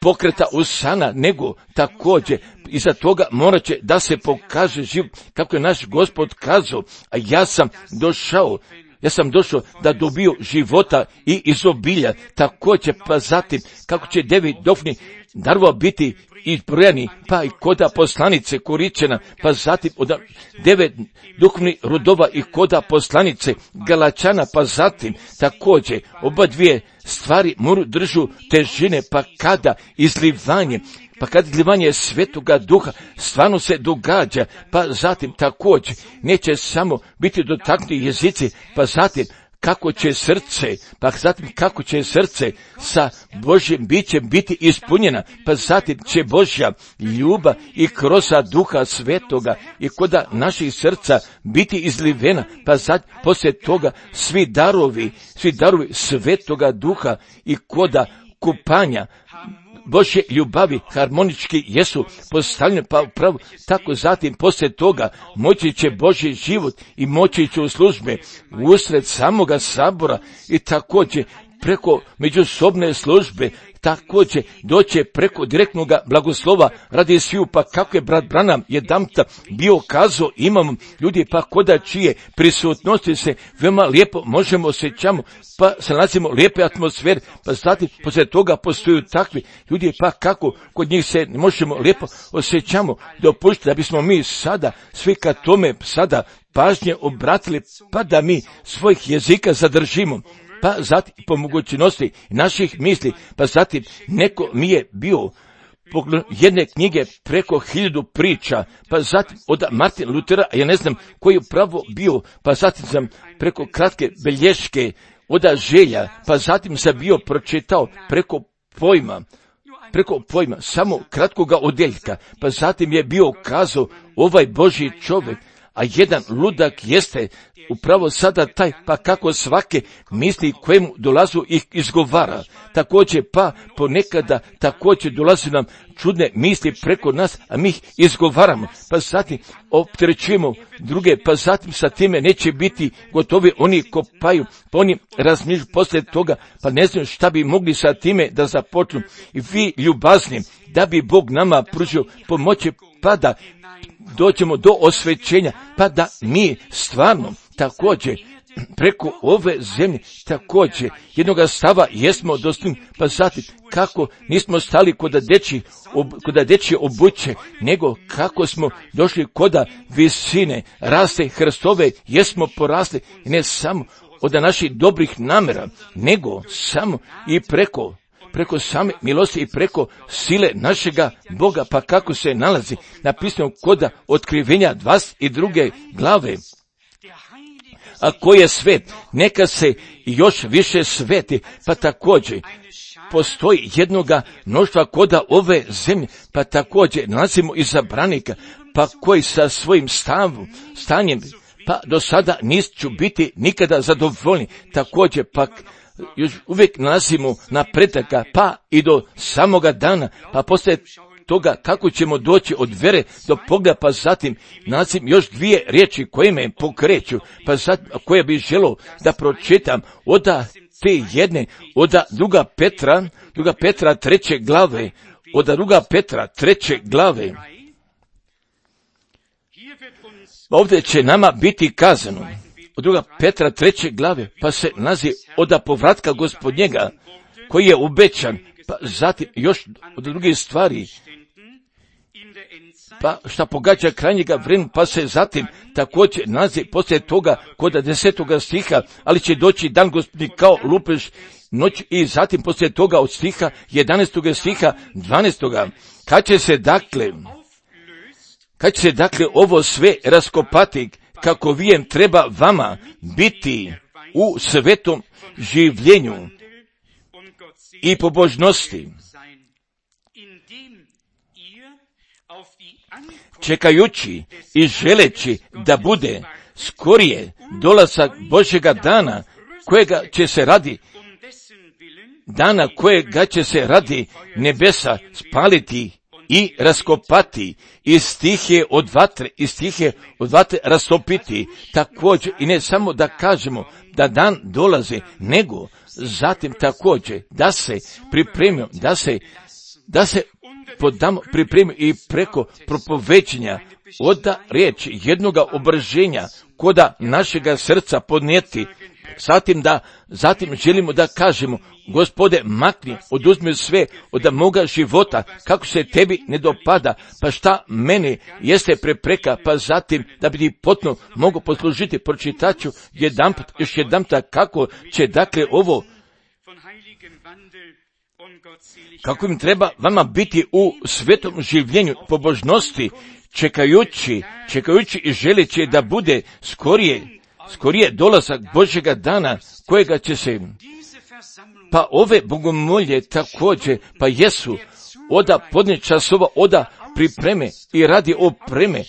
pokreta usana, nego također iza toga morat će da se pokaže život, kako je naš Gospod kazao, a ja sam došao, ja sam došao da dobiju života i izobilja, također pa zatim kako će devet duhovnih darova biti izbrojani, pa i koda poslanice Koričana, pa zatim od devet duhovnih rodova i koda poslanice Galačana, pa zatim također oba dvije stvari moru držu težine, pa kada izlivanje, pa kad izlivanje Svetoga Duha stvarno se događa, pa zatim također neće samo biti dotaknuti jezici, pa zatim kako će srce, pa zatim kako će srce sa Božjim bićem biti ispunjena, pa zatim će Božja ljubav i kroz Duha Svetoga i koda naših srca biti izlivena, pa zatim poslije toga svi darovi, svi darovi Svetoga Duha i koda kupanja Božje ljubavi harmonički jesu postavljene, pa upravo tako zatim poslije toga moći će Božji život i moći će u službe usred samoga sabora i također preko međusobne službe, također doće preko direktnog blagoslova radi sviju, pa kako je brat Branham jedanputa bio kazao, imamo ljudi pa koda čije prisutnosti se veoma lijepo možemo osjećamo, pa se nalazimo lijepe atmosfere, pa zatim poslije toga postoju takvi ljudi pa kako kod njih se možemo lijepo osjećamo, dopustiti da bismo mi sada svi ka tome sada pažnje obratili, pa da mi svojih jezika zadržimo. pa zatim po mogućnosti naših misli, pa zatim neko mi je bio pogled jedne knjige preko hiljadu priča, pa zatim od Martina Lutera, ja ne znam koji je pravo bio, pa zatim sam preko kratke belješke od želja, pa zatim sam bio pročitao preko pojma, preko pojma, samo kratkoga odeljka, pa zatim je bio kazao ovaj Božji čovjek, a jedan ludak jeste upravo sada taj, pa kako svake misli kojemu dolazu ih izgovara. Također pa ponekada također dolaze nam čudne misli preko nas, a mi ih izgovaramo, pa zatim opterećujemo druge, pa zatim sa time neće biti gotovi, oni kopaju, pa oni razmišljaju poslije toga, pa ne znaju šta bi mogli sa time da započnu. I vi ljubazni, da bi Bog nama pružio pomoći, pa da dođemo do osvećenja, pa da mi stvarno također preko ove zemlje također jednoga stava jesmo dostigli, pa zatim kako nismo stali kod deči, ob, kod deči obuće, nego kako smo došli kod visine raste Hristove, jesmo porasli, ne samo od naših dobrih namjera, nego samo i preko preko same milosti i preko sile našega Boga, pa kako se nalazi napisano kod otkrivenja dvadeset druge glave. A ko je svet, neka se još više sveti, pa također postoji jednoga mnoštva koda ove zemlje, pa također nalazimo izabranika, pa koji sa svojim stavom, stanjem, pa do sada nisu biti nikada zadovoljni, također pak još uvijek nalazimo napredaka, pa i do samoga dana, pa poslije toga kako ćemo doći od vere do pogleda, pa zatim nalazim još dvije riječi koje me pokreću, pa zatim koje bih želio da pročitam od te jedne, od druga Petra, druga Petra treće glave, od druga Petra treće glave. Ovdje će nama biti kazano, od druga Petra treće glave, pa se nalazi od povratka Gospodnjega, koji je obećan, pa zatim još od drugih stvari, pa šta pogađa krajnjega vremena, pa se zatim također nalazi poslije toga kod desetoga stiha, ali će doći dan Gospodnji kao lupež noć, i zatim poslije toga od stiha jedanaestoga stiha dvanaestoga kad će se dakle, kad će se dakle ovo sve raskopati, kako vijem treba vama biti u svetom življenju i pobožnosti, čekajući i želeći da bude skorije dolazak Božjega dana, kojega će se radi, dana kojega će se radi nebesa spaliti i raskopati, i stihe od vatre, i stihe od vatre rastopiti. Također, i ne samo da kažemo da dan dolazi, nego zatim također da se pripremimo, da se, da se podamo, pripremimo i preko propoveđenja od riječi jednoga obraženja koda našega srca podnijeti. Zatim da, zatim želimo da kažemo, Gospode, makni, oduzmi sve od moga života, kako se tebi ne dopada, pa šta meni jeste prepreka, pa zatim da bi ti potpuno mogu poslužiti. Pročitaću jedanput, još jedanput kako će dakle ovo, kako im treba vama biti u svetom življenju pobožnosti, čekajući, čekajući i želeći da bude skorije, skorije dolazak Božjega dana, kojega će se, pa ove bogomolje također, pa jesu oda podne časova, oda pripreme i radi opreme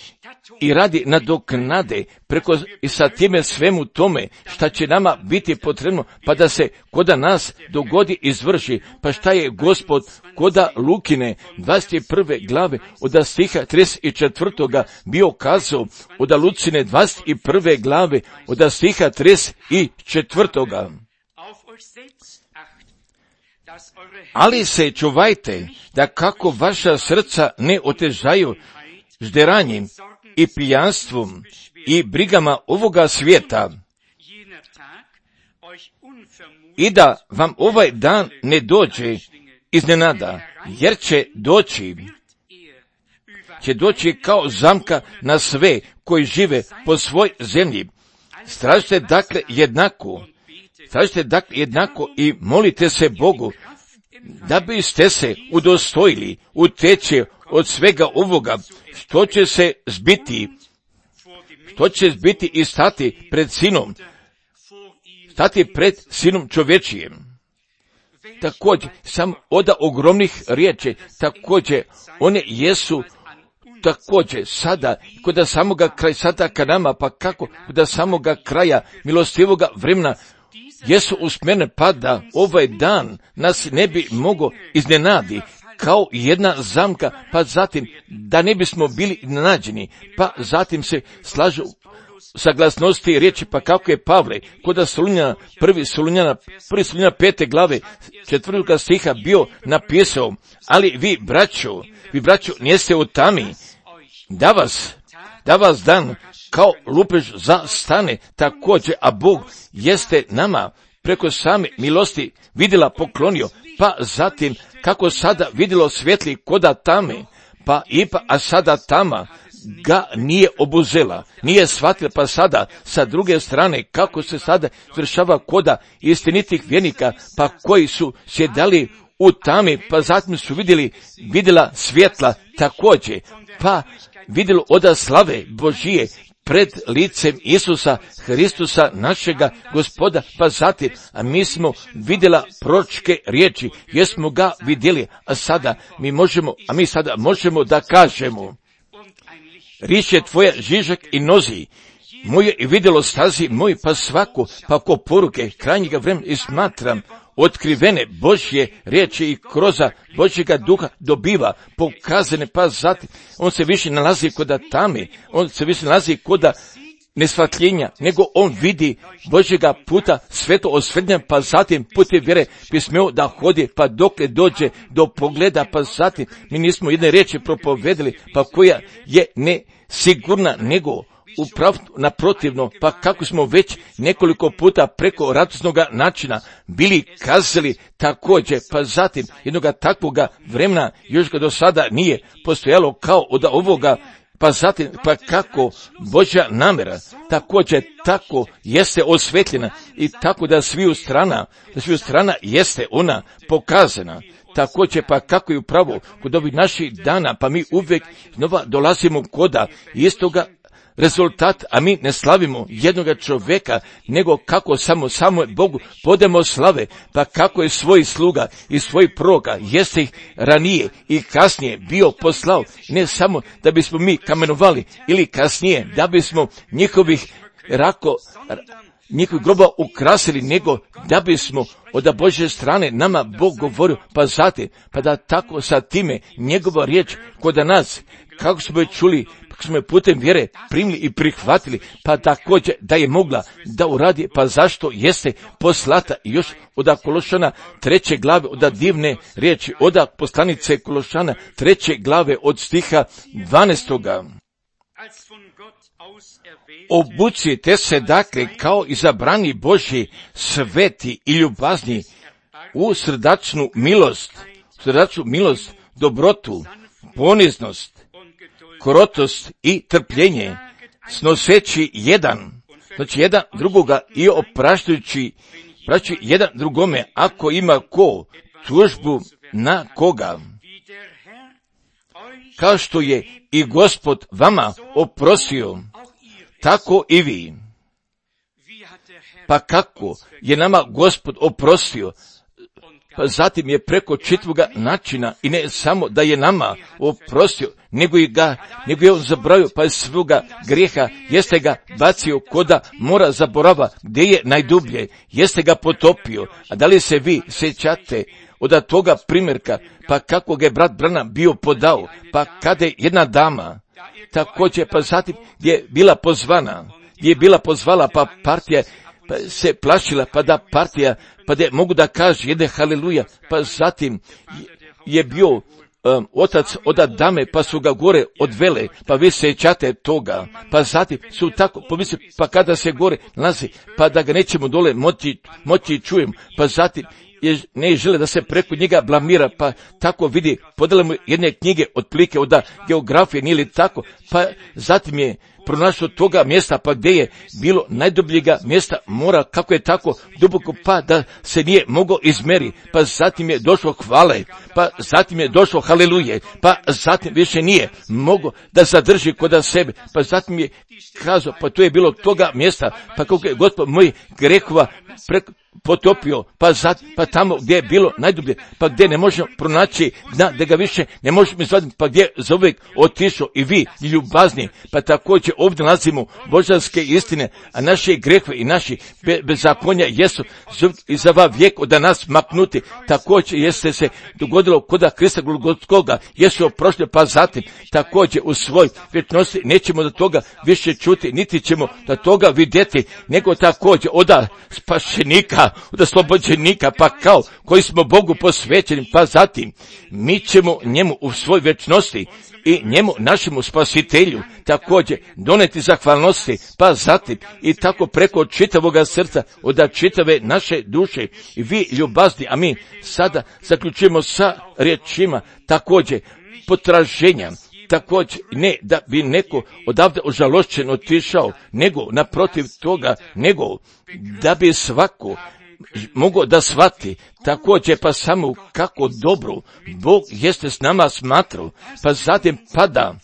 i radi nadoknade preko i sa time svemu tome šta će nama biti potrebno, pa da se koda nas dogodi izvrši. Pa šta je Gospod koda Lukine dvadeset prve glave od stiha trideset četvrtoga bio kazao, od Lucine dvadeset prve glave od stiha trideset četvrtoga. Ali se čuvajte da kako vaša srca ne otežaju žderanjem i pijanstvom i brigama ovoga svijeta, i da vam ovaj dan ne dođe iznenada, jer će doći, će doći kao zamka na sve koji žive po svoj zemlji. Stražite dakle jednako tražite dakle jednako i molite se Bogu, da biste se udostojili uteći od svega ovoga, što će se zbiti, što će zbiti i stati pred sinom, stati pred sinom čovječijem. Također, sam oda ogromnih riječi, također, one jesu također sada, kod samoga kraja sada ka nama, pa kako kod samoga kraja milostivoga vremena, jesu usmjerene pa da ovaj dan nas ne bi mogo iznenadi kao jedna zamka, pa zatim da ne bismo bili iznenađeni, pa zatim se slažu sa glasnosti riječi, pa kako je Pavle kod Solunjana, prvi Solunjana, prvi Solunjana pete glave, četvrtoga stiha bio napisao, ali vi braćo, vi braćo niste u tami, da vas, da vas dan kao lupež zastane također, a Bog jeste nama preko same milosti vidjela poklonio, pa zatim kako sada vidjelo svjetli koda tame, pa ipa, a sada tama ga nije obuzela, nije shvatila, pa sada sa druge strane kako se sada vršava koda istinitih vjernika, pa koji su sjedali u tami, pa zatim su vidjeli, vidjela svjetla također, pa vidjelo oda slave Božije pred licem Isusa Hristusa našega Gospoda, pa zatim, a mi smo vidjela proročke riječi, jesmo ga vidjeli, a sada mi možemo, a mi sada možemo da kažemo, riječ je tvoja žižak i nozi, moje i vidjelo stazi moj, pa svako, pa ko poruke krajnjega vremena i smatram, otkrivene Božje riječi i kroza Božjega duha dobiva pokazane, pa zatim on se više nalazi koda tame, on se više nalazi koda nesvatljenja, nego on vidi Božjega puta sveto osvetljenja, pa zatim putem vjere bi smio da hodi, pa dokle dođe do pogleda, pa zatim mi nismo jedne riječi propovedali, pa koja je ne sigurna, nego upravo naprotivno, pa kako smo već nekoliko puta preko radosnog načina bili kazali također, pa zatim jednoga takvoga vremena još ga do sada nije postojalo kao od ovoga, pa zatim, pa kako Božja namjera također tako jeste osvetljena i tako da sviju strana, da sviju strana jeste ona pokazana. Također pa kako je upravo kod ovih naših dana, pa mi uvijek znova dolazimo koda istoga rezultat, a mi ne slavimo jednoga čovjeka, nego kako samo, samo Bogu podemo slave, pa kako je svoj sluga i svoj proroka, jeste ih ranije i kasnije bio poslao, ne samo da bismo mi kamenovali ili kasnije da bismo njihovih rako, njihovih groba ukrasili, nego da bismo od Božje strane nama Bog govorio, pa zatim, pa da tako sa time njegova riječ kod nas, kako smo je čuli, kako smo je putem vjere primili i prihvatili, pa također da je mogla da uradi, pa zašto jeste poslata još od Kološana treće glave, od divne riječi, od poslanice Kološana treće glave od stiha dvanaestoga. Obucite se dakle kao izabrani Božji, sveti i ljubazni u srdačnu milost, srdačnu milost, dobrotu, poniznost, krotost i trpljenje, snoseći jedan, znači jedan drugoga i opraštajući, praći jedan drugome ako ima ko tužbu na koga. Kao što je i Gospod vama oprostio, tako i vi. Pa kako je nama Gospod oprostio, pa zatim je preko čitvoga načina i ne samo da je nama oprostio, nego i ga, nego je on zaboravio, pa je svoga grijeha, jeste ga bacio koda mora zaborava, gdje je najdublje, jeste ga potopio. A da li se vi sjećate od toga primjerka, pa kako ga je brat Branham bio podao, pa kada je jedna dama, također, pa zatim gdje je bila pozvana, gdje je bila pozvala, pa partija pa se plašila, pa da partija, pa da mogu da kaže jedne haleluja, pa zatim je bio um, otac od dame, pa su ga gore odvele, pa vi sećate toga, pa zatim su tako pomislili, pa kada se gore nalazi, pa da ga nećemo dole moći, moći čujem, pa zatim je, ne žele da se preko njega blamira, pa tako vidi, podele mu jedne knjige otprilike od geografije, nije li tako, pa zatim je pronašao toga mjesta, pa gdje je bilo najdubljega mjesta mora, kako je tako duboko, pa da se nije mogao izmeri, pa zatim je došlo hvale, pa zatim je došlo haleluje, pa zatim više nije mogao da zadrži kod sebe, pa zatim je kazao, pa to je bilo toga mjesta, pa kako je Gospod moj grehova preko potopio, pa zat, pa tamo gdje je bilo najdublje, pa gdje ne možemo pronaći dna, da ga više ne možemo izvaditi, pa gdje za uvijek otišao i vi ljubazni, pa također ovdje nalazimo božanske istine, a naše grehve i naši be, bezakonja jesu i za va vijek od nas maknuti, također jeste se dogodilo koda Krista Golgotskoga, jesu prošli, pa zatim također u svoj vječnosti nećemo do toga više čuti, niti ćemo do toga vidjeti, nego također oda spašenika, od oslobođenika, pa kao koji smo Bogu posvećeni, pa zatim mi ćemo njemu u svoj vječnosti i njemu našemu spasitelju također doneti zahvalnosti, pa zatim i tako preko čitavoga srca, od čitave naše duše i vi ljubazni, a mi sada zaključujemo sa riječima također potraženja, također ne da bi neko odavde ožalošćen otišao, nego naprotiv toga, nego da bi svako mogao da shvati također pa samo kako dobro Bog jeste s nama smatrao, pa zatim pada,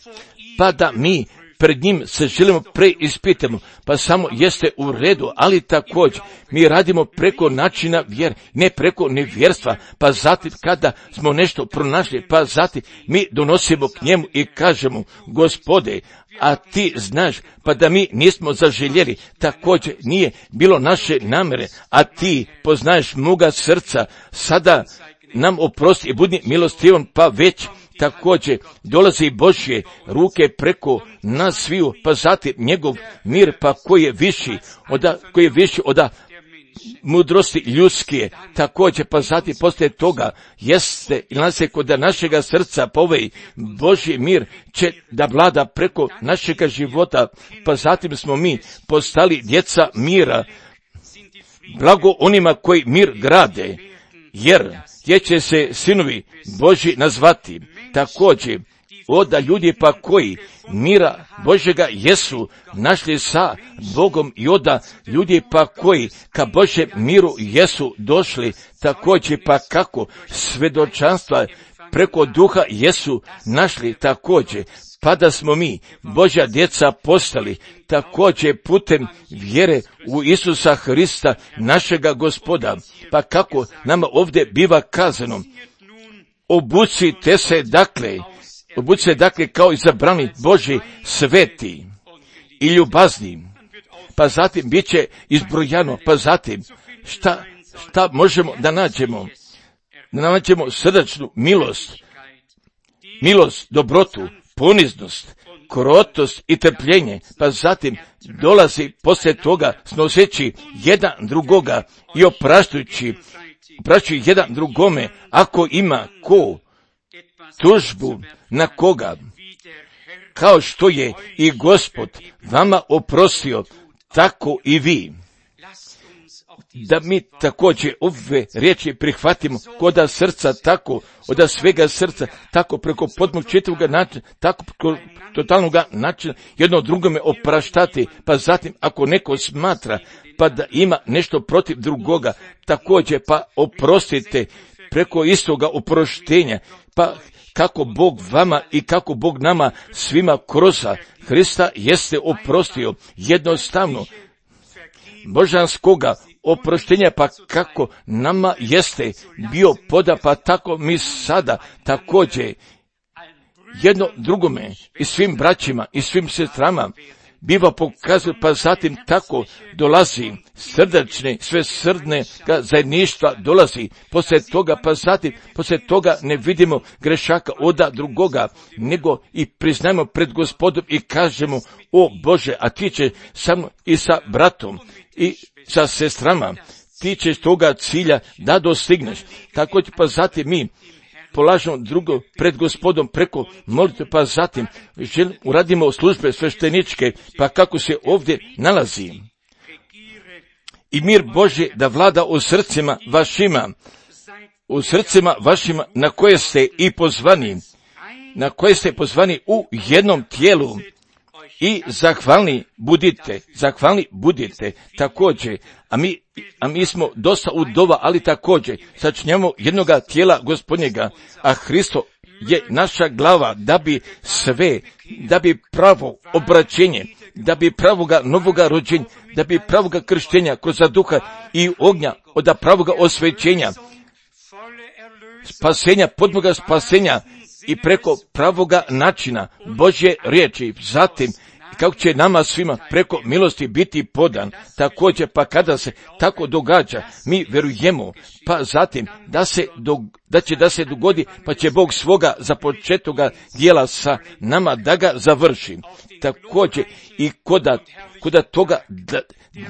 pa da mi pred njim se želimo preispitamo, pa samo jeste u redu, ali također mi radimo preko načina vjer, ne preko nevjerstva, pa zatim kada smo nešto pronašli, pa zatim mi donosimo k njemu i kažemo, Gospode, a ti znaš, pa da mi nismo zaželjeli, također nije bilo naše namere, a ti poznaješ moga srca, sada nam oprosti i budi milostivan, pa već također dolazi Božje ruke preko nas sviju, pa zatim njegov mir, pa koji je viši od, koji je viši od mudrosti ljudske, također pa zatim poslije toga jeste i nas je kod našega srca povej Božji mir će da vlada preko našega života, pa zatim smo mi postali djeca mira, blago onima koji mir grade, jer gdje će se sinovi Božji nazvati, također oda ljudi pa koji mira Božjega jesu našli sa Bogom i oda ljudi pa koji ka Božjem miru jesu došli, također pa kako svedočanstva preko duha jesu našli, također pa da smo mi Božja djeca postali, također putem vjere u Isusa Hrista našega Gospoda, pa kako nama ovdje biva kazano, obucite se dakle, obucite se dakle kao izabrani Božji sveti i ljubazni, pa zatim bit će izbrojano, pa zatim šta, šta možemo da nađemo, da nađemo srdačnu milost, milost, dobrotu, poniznost, krotost i trpljenje, pa zatim dolazi poslije toga snoseći jedan drugoga i opraštujući, opraštujući jedan drugome, ako ima ko tužbu na koga, kao što je i Gospod vama oprostio, tako i vi. Da mi također ove riječi prihvatimo koda srca, tako od svega srca, tako preko podmog čitavoga načina, tako preko totalnog načina, jedno drugome opraštati, pa zatim ako neko smatra pa da ima nešto protiv drugoga, također pa oprostite preko istoga oproštenja, pa kako Bog vama i kako Bog nama svima kroz Hrista jeste oprostio jednostavno božanskoga oproštenja, pa kako nama jeste bio poda, pa tako mi sada također jedno drugome i svim braćima i svim sestrama biva pokazuje, pa zatim tako dolazi srdačne, sve srdne zajedništva dolazi, poslije toga, pa zatim poslije toga ne vidimo grešaka oda drugoga, nego i priznajemo pred Gospodom i kažemo, o Bože, a ti će sa mnom i sa bratom i sa sestrama, ti ćeš toga cilja da dostigneš. Tako pa zatim mi polažemo drugo pred Gospodom preko molitve, pa zatim želim, uradimo službe svešteničke, pa kako se ovdje nalazi. I mir Božji da vlada u srcima vašima, u srcima vašima na koje ste i pozvani, na koje ste pozvani u jednom tijelu, i zahvalni budite, zahvalni budite također, a mi, a mi smo dosta udova, ali također sačinjamo jednoga tijela Gospodnjega, a Hristo je naša glava, da bi sve, da bi pravo obraćenje, da bi pravoga novoga rođenja, da bi pravoga krštenja kroz duha i ognja, od pravoga osvećenja, spasenja, potpunoga spasenja i preko pravoga načina Božje riječi, zatim kako će nama svima preko milosti biti podan, također pa kada se tako događa, mi vjerujemo, pa zatim da se do, da će da se dogodi, pa će Bog svoga započetoga dijela sa nama da ga završi. Također i koda, koda toga da,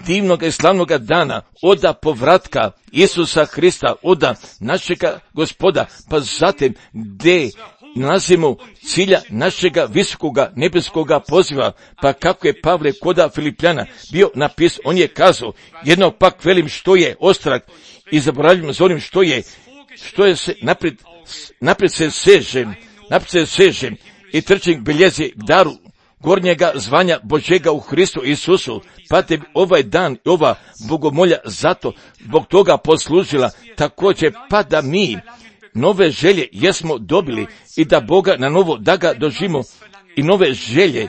divnog i slavnog dana, oda povratka Isusa Hrista, oda našega Gospoda, pa zatim gdje nalazimo cilja našega visokoga nebeskoga poziva, pa kako je Pavle koda Filipljana bio napisao, on je kazao, jedno pak velim što je ostrag i zaboravljam za onim što je, što je se naprijed, naprijed se sežem, naprijed se sežem i trčim biljezi k daru gornjega zvanja Božega u Hristu Isusu, pa te ovaj dan i ova bogomolja zato zbog toga poslužila, također pa da mi nove želje jesmo dobili i da Boga na novo da ga doživimo i nove želje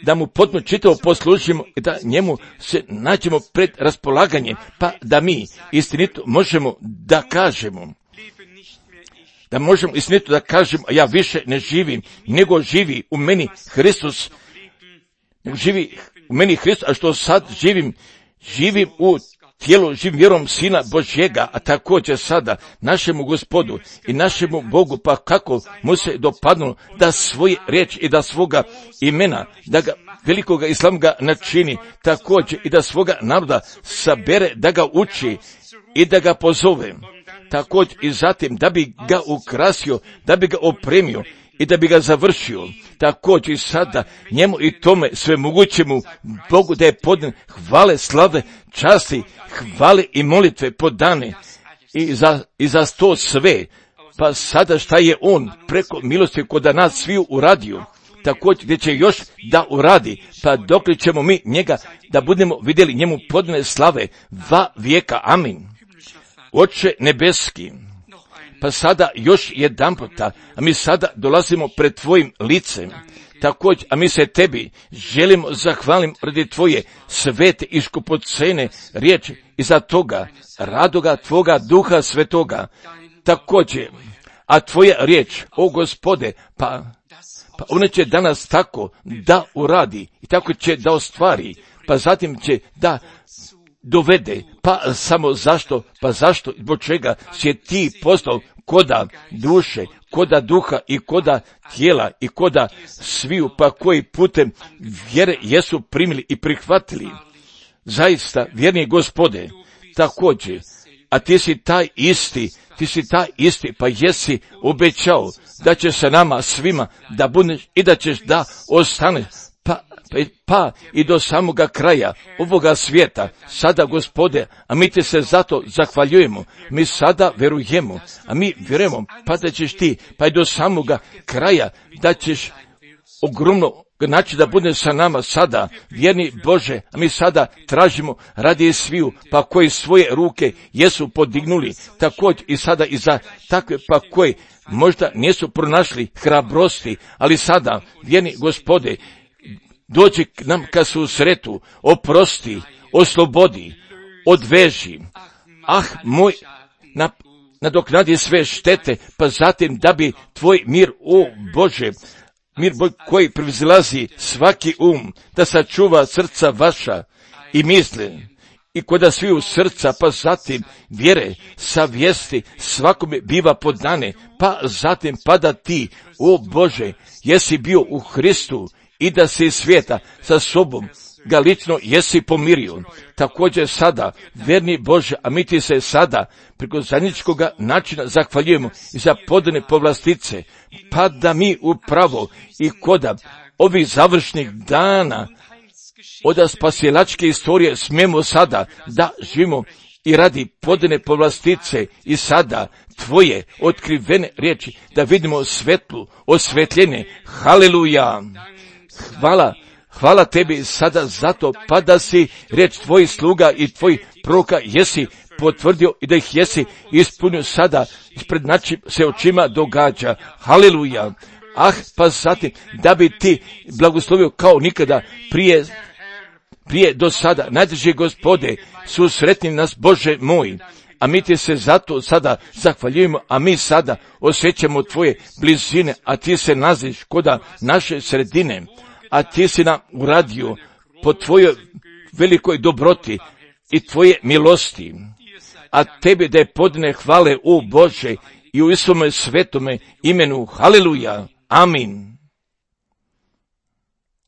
da mu potpuno čitavo poslužimo i da njemu se nađemo pred raspolaganjem, pa da mi istinito možemo da kažemo, da možemo istinito da kažemo, a ja više ne živim, nego živi u meni Hristos, nego živi u meni Hristos, a što sad živim, živim u tijelu, živim vjerom Sina Božjega, a također sada našemu Gospodu i našemu Bogu, pa kako mu se dopadnulo da svoje riječi i da svoga imena, da ga velikoga i slavnoga načini, također i da svoga naroda sabere, da ga uči i da ga pozove, također i zatim da bi ga ukrasio, da bi ga opremio i da bi ga završio, također i sada njemu i tome sve mogućemu Bogu da je podan hvale, slave, časti, hvale i molitve podane i za, i za to sve, pa sada šta je on preko milosti kod nas sviju uradio, također gdje će još da uradi, pa dokle ćemo mi njega da budemo vidjeli njemu podane slave va vijeka, amin. Oče nebeski, pa sada još jedan puta, a mi sada dolazimo pred tvojim licem, također, a mi se tebi želimo zahvalim radi tvoje svete i skupocene riječi i za toga radoga tvoga duha svetoga, također, a tvoja riječ, o Gospode, pa, pa ona će danas tako da uradi i tako će da ostvari, pa zatim će da dovede, pa samo zašto, pa zašto, zbog čega si ti postao koda duše, koda duha i koda tijela i koda sviju, pa koji putem vjere jesu primili i prihvatili. Zaista, vjerni Gospode, također, a ti si taj isti, ti si taj isti, pa jesi obećao da će se nama svima da budeš i da ćeš da ostaneš, pa pa i do samoga kraja ovoga svijeta. Sada, Gospode, a mi ti se zato zahvaljujemo, mi sada verujemo, a mi vjerujemo, pa da ćeš ti, pa i do samoga kraja, da ćeš ogromno znači da bude sa nama sada, vjerni Bože, a mi sada tražimo radi sviju, pa koji svoje ruke jesu podignuli, također i sada i za takve, pa koji možda nisu pronašli hrabrosti, ali sada, vjerni Gospode, dođi k nam ka susretu, oprosti, oslobodi, odveži, ah moj, na, nadoknadi sve štete, pa zatim da bi tvoj mir, o Bože, mir Bog koji prevazilazi svaki um, da sačuva srca vaša i misle, i koda sviju srca, pa zatim vjere, savjesti svakome biva podane, pa zatim pada ti, o Bože, jesi bio u Hristu, i da si svijeta sa sobom ga lično jesi pomirio. Također sada, vjerni Bože, a mi ti se sada preko zajedničkoga načina zahvaljujemo i za podane povlastice, pa da mi upravo i koda ovih završnih dana od spasilačke istorije smijemo sada da živimo i radi podane povlastice i sada tvoje otkrivene riječi da vidimo svetlu, osvetljene. Haleluja! hvala, hvala tebi sada zato, pa da si riječ tvojih sluga i tvojih proroka jesi potvrdio i da ih jesi ispunio sada, ispred našim se očima događa. Haleluja. Ah, pa zatim, da bi ti blagoslovio kao nikada prije, prije do sada. Najdrži Gospode, susretni nas Bože moj, a mi ti se zato sada zahvaljujemo, a mi sada osjećamo tvoje blizine, a ti se nalaziš koda naše sredine, a ti si nam uradio po tvojoj velikoj dobroti i tvoje milosti. A tebi da je podne hvale u Bože i u Isome svetome imenu. Haleluja. Amin.